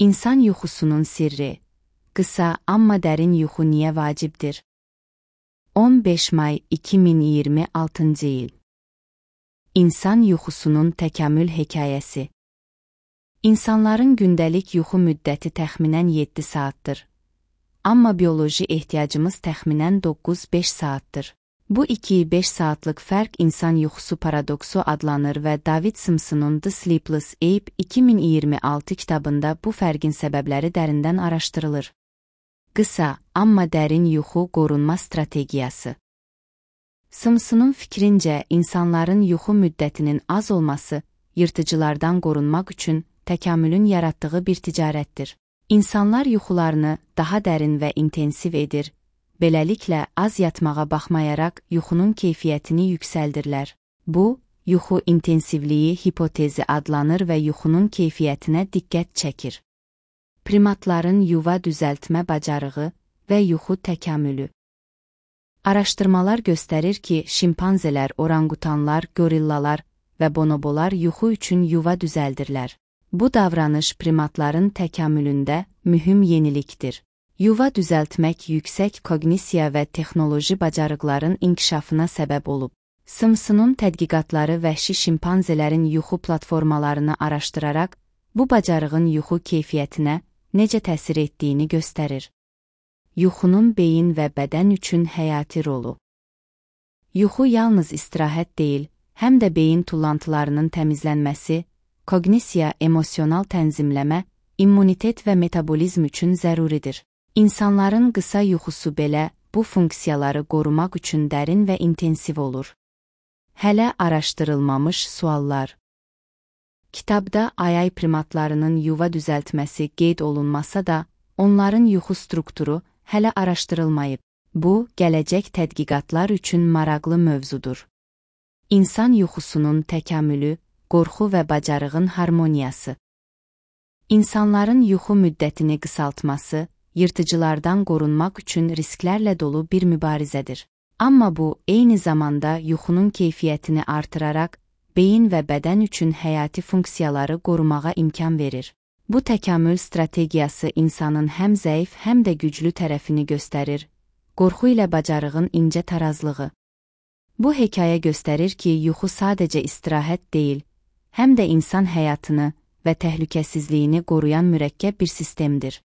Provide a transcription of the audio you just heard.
İnsan yuxusunun sirri. Qısa, amma dərin yuxu niyə vacibdir? 15 may 2026 il. İnsan yuxusunun təkamül hekayəsi. İnsanların gündəlik yuxu müddəti təxminən 7 saatdır. Amma bioloji ehtiyacımız təxminən 9-5 saatdır. Bu 2-5 saatlıq fərq insan yuxusu paradoksu adlanır və David Simpson'un The Sleepless Ape 2026 kitabında bu fərqin səbəbləri dərindən araşdırılır. Qısa, amma dərin yuxu qorunma strategiyası. Simpson'un fikrincə, insanların yuxu müddətinin az olması, yırtıcılardan qorunmaq üçün təkamülün yaratdığı bir ticarətdir. İnsanlar yuxularını daha dərin və intensiv edir, beləliklə az yatmağa baxmayaraq yuxunun keyfiyyətini yüksəldirlər. Bu, yuxu intensivliyi hipotezi adlanır və yuxunun keyfiyyətinə diqqət çəkir. Primatların yuva düzəltmə bacarığı və yuxu təkamülü. Araşdırmalar göstərir ki, şimpanzelər, orangutanlar, gorillalar və bonobolar yuxu üçün yuva düzəldirlər. Bu davranış primatların təkamülündə mühüm yenilikdir. Yuva düzəltmək yüksək koqnisiya və texnoloji bacarıqların inkişafına səbəb olub. Simpson'un tədqiqatları vəhşi şimpanzelerin yuxu platformalarını araşdıraraq, bu bacarığın yuxu keyfiyyətinə necə təsir etdiyini göstərir. Yuxunun beyin və bədən üçün həyati rolu. Yuxu yalnız istirahət deyil, həm də beyin tullantılarının təmizlənməsi, koqnisiya, emosional tənzimləmə, immunitet və metabolizm üçün zəruridir. İnsanların qısa yuxusu belə bu funksiyaları qorumaq üçün dərin və intensiv olur. Hələ araşdırılmamış suallar. Kitabda ayay primatlarının yuva düzəltməsi qeyd olunmasa da, onların yuxu strukturu hələ araşdırılmayıb. Bu, gələcək tədqiqatlar üçün maraqlı mövzudur. İnsan yuxusunun təkamülü, qorxu və bacarığın harmoniyası. İnsanların yuxu müddətini qısaltması, yırtıcılardan qorunmaq üçün risklərlə dolu bir mübarizədir. Amma bu, eyni zamanda yuxunun keyfiyyətini artıraraq, beyin və bədən üçün həyati funksiyaları qorumağa imkan verir. Bu təkamül strategiyası insanın həm zəif, həm də güclü tərəfini göstərir, qorxu ilə bacarığın incə tarazlığı. Bu hekayə göstərir ki, yuxu sadəcə istirahət deyil, həm də insan həyatını və təhlükəsizliyini qoruyan mürəkkəb bir sistemdir.